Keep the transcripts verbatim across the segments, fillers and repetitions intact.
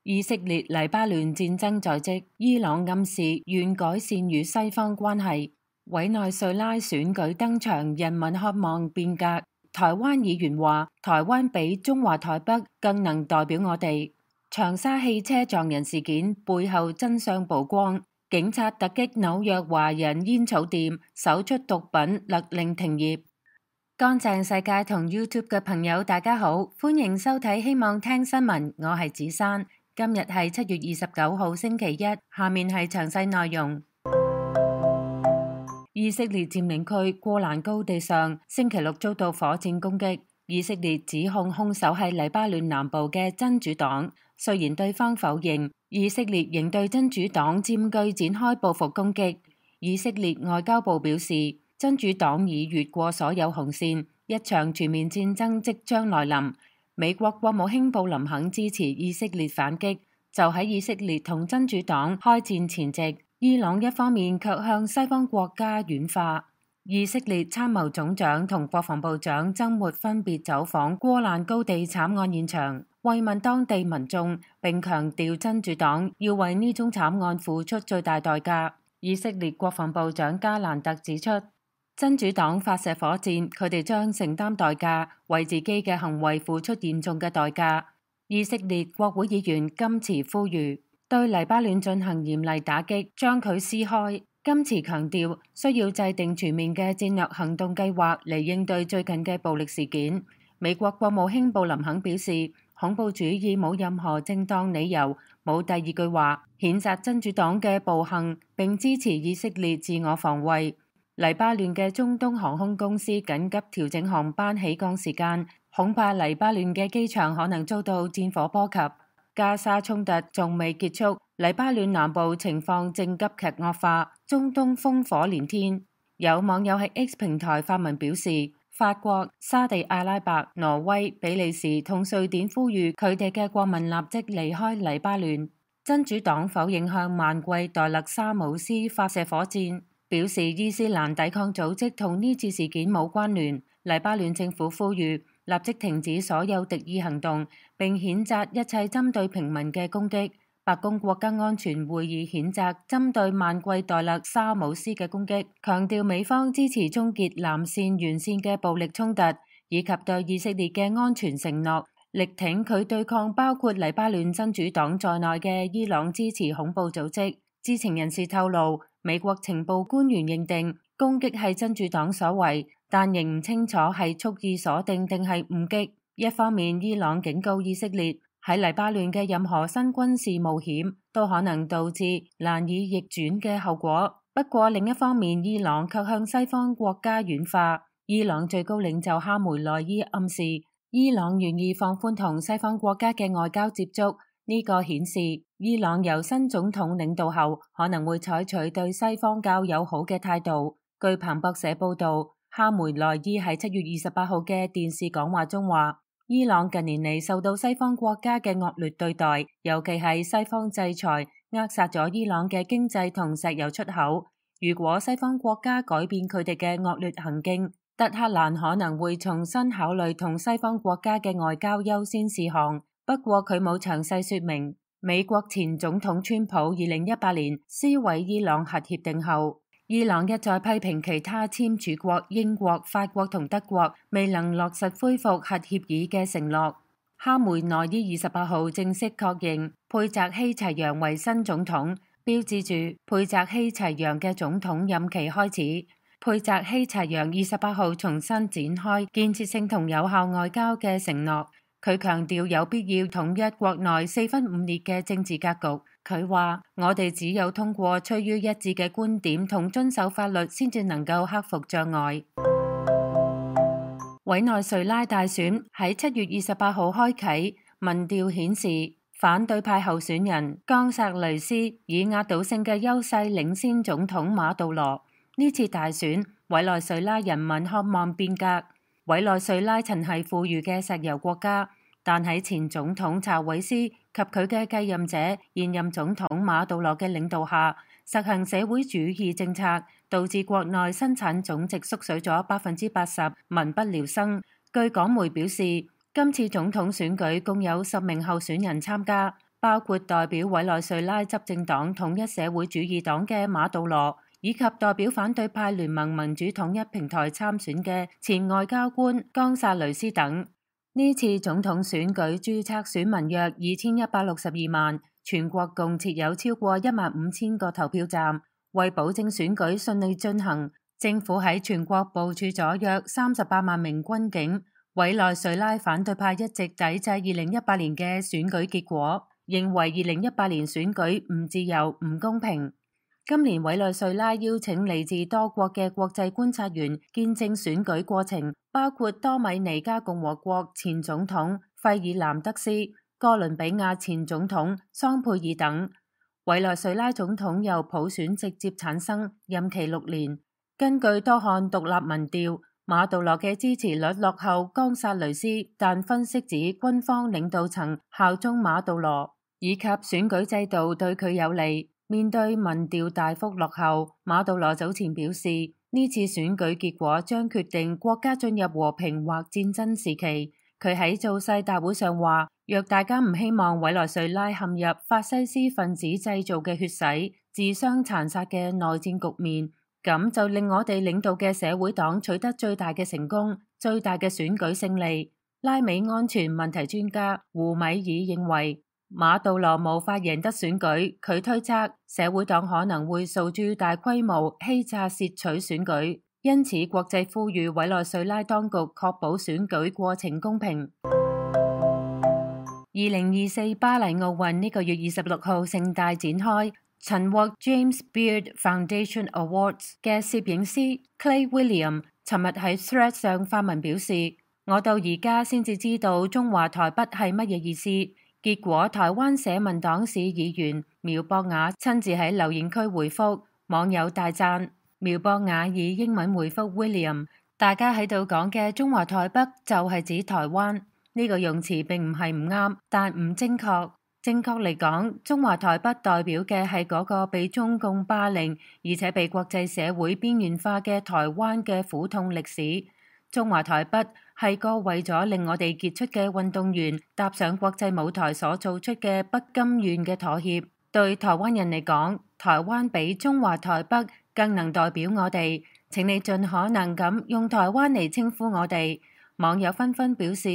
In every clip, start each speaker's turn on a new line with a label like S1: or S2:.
S1: 以色列黎巴嫩戰爭在即，伊朗暗示願改善與西方關係。委內瑞拉選舉登場，人民渴望變革。台灣議員話：台灣比中華台北更能代表我哋。長沙汽車撞人事件背後真相曝光，警察突擊紐約華人煙草店，搜出毒品，勒令停業。乾淨世界同 YouTube 嘅朋友大家好，歡迎收睇希望聽新聞，我係子珊。今日係七月二十九號星期一，下面係詳細內容。以色列佔領區戈蘭高地上星期六遭到火箭攻擊，以色列指控兇手係黎巴嫩南部嘅真主黨，雖然對方否認，以色列仍對真主黨佔據展開報復攻擊。以色列外交部表示，真主黨已越過所有紅線，一場全面戰爭即將來臨。美國國務卿布林肯支持以色列反擊，就喺以色列同真主黨開戰前夕，伊朗一方面卻向西方國家軟化。以色列參謀總長同國防部長週末分別走訪戈蘭高地慘案現場，慰問當地民眾，並強調真主黨要為呢宗慘案付出最大代價。以色列國防部長加蘭特指出，真主黨發射火箭，佢哋將承擔代價，為自己嘅行為付出嚴重嘅代價。以色列國會議員金池呼籲對黎巴嫩進行嚴厲打擊，將佢撕開。金池強調需要制定全面嘅戰略行動計劃嚟應對最近嘅暴力事件。美國國務卿布林肯表示，恐怖主義冇任何正當理由，冇第二句話，譴責真主黨嘅暴行，並支持以色列自我防衛。黎巴嫩嘅中東航空公司緊急調整航班起降時間，恐怕黎巴嫩嘅機場可能遭到戰火波及。加沙衝突仲未結束，黎巴嫩南部情況正急劇惡化，中東烽火連天。有網友喺 X 平台發文表示，法國、沙地阿拉伯、挪威、比利時同瑞典呼籲佢哋嘅國民立即離開黎巴嫩。真主黨否認向萬貴代勒沙姆斯發射火箭，表示伊斯蘭抵抗組織同呢次事件冇關聯。黎巴嫩政府呼籲立即停止所有敵意行動，並譴責一切針對平民嘅攻擊。白宮國家安全會議譴責針對萬貴代勒沙姆斯嘅攻擊，強調美方支持終結南線沿線嘅暴力衝突，以及對以色列嘅安全承諾，力挺佢對抗包括黎巴嫩真主黨在內嘅伊朗支持恐怖組織。知情人士透露，美國情報官員認定攻擊係真主黨所為，但仍唔清楚係蓄意鎖定定係誤擊。一方面，伊朗警告以色列喺黎巴嫩嘅任何新軍事冒險都可能導致難以逆轉嘅後果。不過另一方面，伊朗卻向西方國家軟化。伊朗最高領袖哈梅內伊暗示，伊朗願意放寬同西方國家嘅外交接觸。呢個顯示伊朗由新總統領導後可能會採取對西方較友好嘅態度。據彭博社報道，哈梅內伊喺七月二十八號嘅電視講話中話，伊朗近年嚟受到西方國家嘅惡劣對待，尤其係西方制裁扼殺咗伊朗嘅經濟同石油出口。如果西方國家改變佢哋嘅惡劣行徑，德黑蘭可能會重新考慮同西方國家嘅外交優先事項。不過佢冇詳細說明。美國前總統川普二零一八年撕毀伊朗核協定後，伊朗一再批評其他簽署國英國、法國同德國未能落實恢復核協議嘅承諾。哈梅內伊二十八號正式確認佩澤希齊揚為新總統，標誌住佩澤希齊揚嘅總統任期開始。佩澤希齊揚二十八號重新展開建設性同有效外交嘅承諾。佢強調有必要統一國內四分五裂嘅政治格局。佢話：我哋只有通過趨於一致嘅觀點同遵守法律，先至能夠克服障礙。委內瑞拉大選喺七月二十八號開啟，民調顯示反對派候選人岡薩雷斯以壓倒性嘅優勢領先總統馬杜羅。呢次大選，委內瑞拉人民渴望變革。委內瑞拉曾係富裕嘅石油國家，但喺前總統查韋斯及佢嘅繼任者現任總統馬杜羅嘅領導下，實行社會主義政策，導致國內生產總值縮水咗百分之八十，民不聊生。據港媒表示，今次總統選舉共有十名候選人參加，包括代表委內瑞拉執政黨統一社會主義黨嘅馬杜羅，以及代表反對派聯盟民主統一平台參選嘅前外交官岡薩雷斯等。呢次總統選舉註冊選民約二千一百六十二萬，全國共設有超過一萬五千個投票站。為保證選舉順利進行，政府喺全國部署咗約三十八萬名軍警。委內瑞拉反對派一直抵制二零一八年嘅選舉結果，認為二零一八年選舉唔自由、唔公平。今年委內瑞拉邀請嚟自多國嘅國際觀察員見證選舉過程，包括多米尼加共和國前總統費爾南德斯、哥倫比亞前總統桑佩爾等。委內瑞拉總統由普選直接產生，任期六年。根據多項獨立民調，馬杜羅嘅支持率落後岡薩雷斯，但分析指軍方領導層效忠馬杜羅，以及選舉制度對佢有利。面對民調大幅落後，馬杜羅早前表示，呢次選舉結果將決定國家進入和平或戰爭時期。佢喺造勢大會上話，若大家唔希望委內瑞拉陷入法西斯分子製造嘅血洗、自相殘殺嘅內戰局面，咁就令我哋領導嘅社會黨取得最大嘅成功、最大嘅選舉勝利。拉美安全問題專家胡米爾認為，馬杜羅無法贏得選舉，佢推測社會黨可能會訴諸大規模欺詐竊取選舉。因此，國際呼籲委內瑞拉當局確保選舉過程公平。二零二四巴黎奧運呢個月二十六號盛大展開，曾獲 James Beard Foundation Awards 嘅攝影師 Clay William 尋日喺 Thread 上發文表示：我到而家先至知道中華台北係乜嘢意思。結果台灣社民黨市議員苗博雅親自喺留言區回覆，網友大讚。苗博雅以英文回覆 William：大家喺度講嘅中華台北就係指台灣，呢個用詞並唔係唔啱，但唔正確。正確嚟講，中華台北代表嘅係嗰個被中共霸凌而且被國際社會邊緣化嘅台灣嘅苦痛歷史。中華台北係個為咗令我哋傑出嘅運動員踏上國際舞台所做出嘅不甘願嘅妥協。對台灣人嚟講，台灣比中華台北更能代表我哋。請你盡可能咁用台灣嚟稱呼我哋。網友紛紛表示，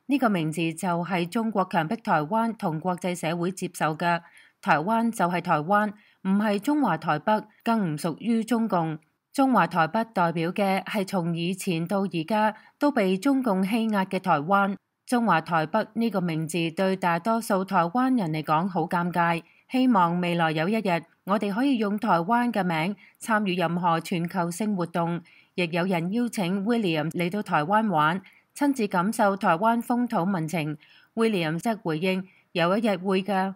S1: 呢個名字就係中國強迫台灣同國際社會接受嘅。台灣就係台灣，唔係中華台北，更唔屬於中共。中華台北代表嘅係從以前到而家都被中共欺壓嘅台灣。中華台北呢個名字對大多數台灣人嚟講好尷尬。希望未來有一日，我哋可以用台灣嘅名參與任何全球性活動。亦有人邀請 William 嚟到台灣玩，親自感受台灣風土民情。William 則回應：有一日會㗎。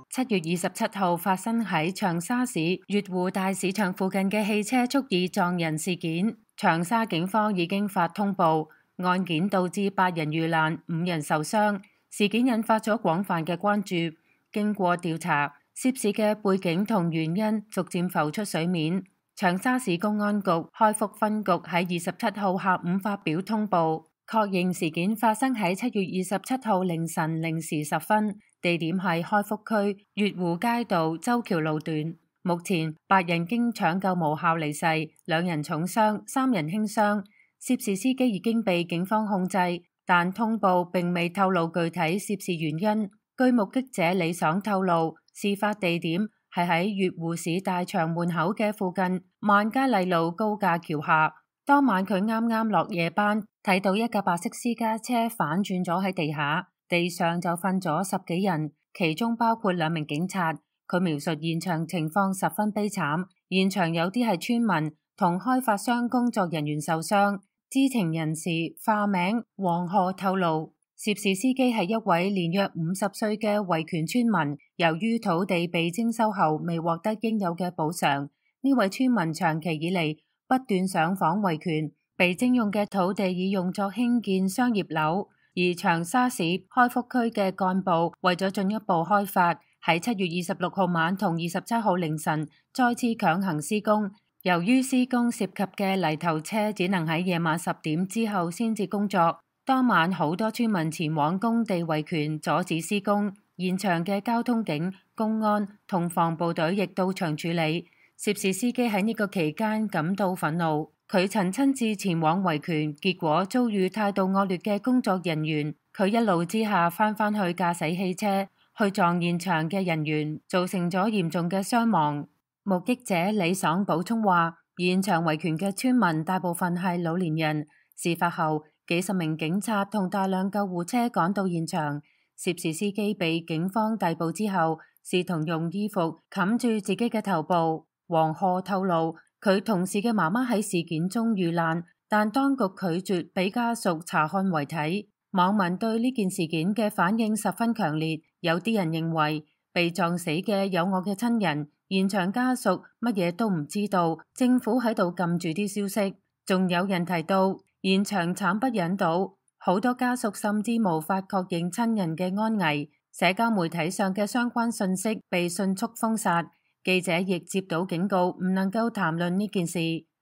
S1: 七月二十七號發生喺長沙市月湖大市場附近嘅汽車蓄意撞人事件，長沙警方已經發通報，案件導致八人遇難，五人受傷。事件引發咗廣泛嘅關注。經過調查，涉事嘅背景同原因逐漸浮出水面。長沙市公安局開福分局喺二十七號下午發表通報，確認事件發生喺七月二十七號凌晨零時十分，地點係開福區月湖街道洲橋路段。目前八人經搶救無效離世，兩人重傷，三人輕傷。涉事司機已經被警方控制，但通報並未透露具體涉事原因。據目擊者李爽透露，事發地點係喺月湖市大場門口嘅附近萬家麗路高架橋下。當晚佢啱啱落夜班，睇到一架白色私家車反轉咗喺地下，地上就瞓咗十幾人，其中包括兩名警察。佢描述現場情況十分悲慘，現場有啲係村民同開發商工作人員受傷。知情人士化名黃河透露，涉事司機係一位年約五十歲嘅維權村民，由於土地被徵收後未獲得應有嘅補償，呢位村民長期以嚟不斷上訪維權，被徵用嘅土地已用作興建商業樓，而長沙市開福區嘅幹部為咗進一步開發，喺七月二十六號晚同二十七號凌晨再次強行施工。由於施工涉及嘅泥頭車只能喺夜晚十點之後先至工作，當晚好多村民前往工地維權，阻止施工，現場嘅交通警、公安同防暴隊亦到場處理。涉事司機喺呢個期間感到憤怒，佢曾親自前往維權，結果遭遇態度惡劣嘅工作人員。佢一怒之下翻返去駕駛汽車去撞現場嘅人員，造成咗嚴重嘅傷亡。目擊者李爽補充話，現場維權嘅村民大部分係老年人。事發後，幾十名警察同大量救護車趕到現場，涉事司機被警方逮捕之後，試圖用衣服冚住自己嘅頭部。黃賀透露，佢同事嘅媽媽喺事件中遇難，但當局拒絕俾家屬查看遺體。網民對呢件事件嘅反應十分強烈，有啲人認為被撞死嘅有我嘅親人，現場家屬乜嘢都唔知道，政府喺度禁住啲消息。仲有人提到現場慘不忍睹，好多家屬甚至無法確認親人嘅安危，社交媒體上嘅相關信息被迅速封殺。記者亦接到警告，唔能夠談論呢件事。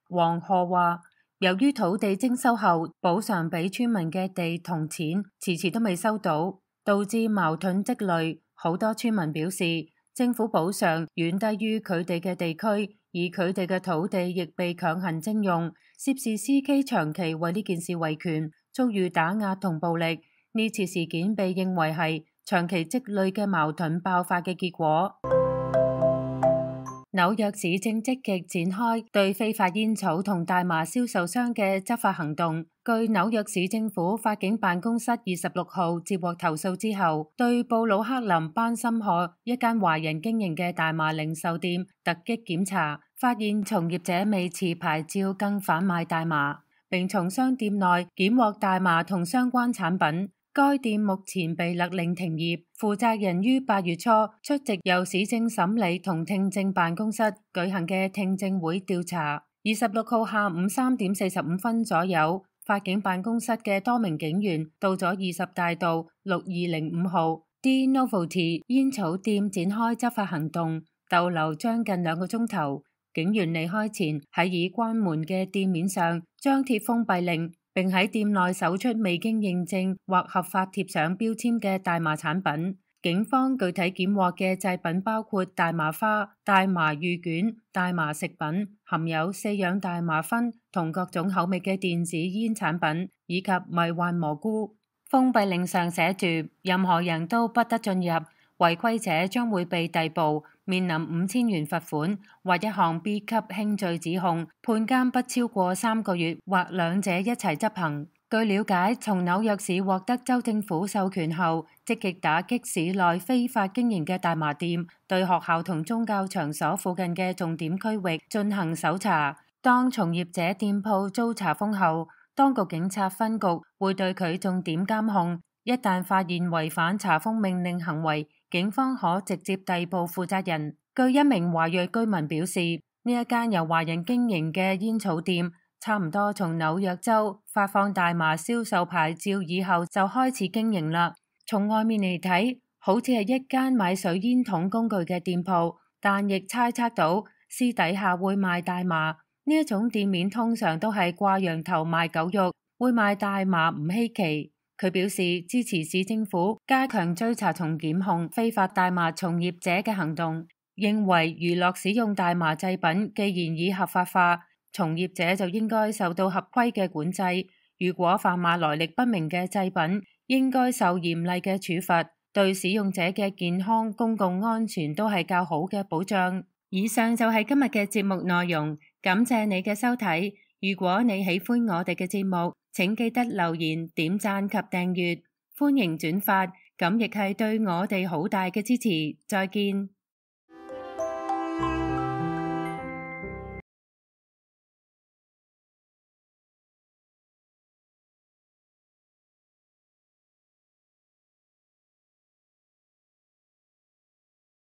S1: 黃賀話，由於土地徵收後補償俾村民嘅地同錢遲遲都未收到，導致矛盾積累。好多村民表示，政府補償遠低於佢哋嘅地區，而佢哋嘅土地亦被強行徵用。涉事司機長期為呢件事維權，遭遇打壓同暴力。呢次事件被認為係長期積累嘅矛盾爆發嘅結果。紐約市正積極展開對非法煙草同大麻銷售商嘅執法行動。據紐約市政府法警辦公室二十六號接獲投訴之後，對布魯克林班森河一間華人經營嘅大麻零售店突擊檢查，發現從業者未持牌照更販賣大麻，並從商店內檢獲大麻同相關產品。該店目前被勒令停業，負責人於八月初出席由市政審理同聽證辦公室舉行嘅聽證會調查。二十六號下午三點四十五分左右，法警辦公室嘅多名警員到咗二十大道六二零五號 D Novelty 煙草店展開執法行動，逗留將近兩個鐘頭。警員離開前喺已關門嘅店面上張貼封閉令，並喺店內搜出未經認證或合法貼上標籤嘅大麻產品。警方具體檢獲嘅製品包括大麻花、大麻芋卷、大麻食品，含有四樣大麻酚同各種口味嘅電子煙產品，以及迷幻蘑菇。封閉令上寫住，任何人都不得進入，違規者將會被逮捕，面臨五千元罰款或一項 B 級輕罪指控，判監不超過三個月或兩者一齊執行。據了解，從紐約市獲得州政府授權後，積極打擊市內非法經營嘅大麻店，對學校同宗教場所附近嘅重點區域進行搜查。當從業者店鋪遭查封後，當局警察分局會對佢重點監控。一旦發現違反查封命令行為，警方可直接逮捕負責人。據一名華裔居民表示，呢一間由華人經營嘅煙草店，差唔多從紐約州發放大麻銷售牌照以後就開始經營啦。從外面嚟睇，好似係一間買水煙筒工具嘅店鋪，但亦猜測到私底下會賣大麻。呢一種店面通常都係掛羊頭賣狗肉，會賣大麻唔稀奇。佢表示支持市政府加強追查同檢控非法大麻從業者嘅行動，認為娛樂使用大麻製品既然已合法化，從業者就應該受到合規嘅管制。如果販賣來歷不明嘅製品，應該受嚴厲嘅處罰，對使用者嘅健康、公共安全都係較好嘅保障。以上就係今日嘅節目內容，感謝你嘅收睇。如果你喜歡我哋嘅節目，請記得留言、點讚及訂閱，歡迎轉發，咁亦係對我哋好大嘅支持。再見。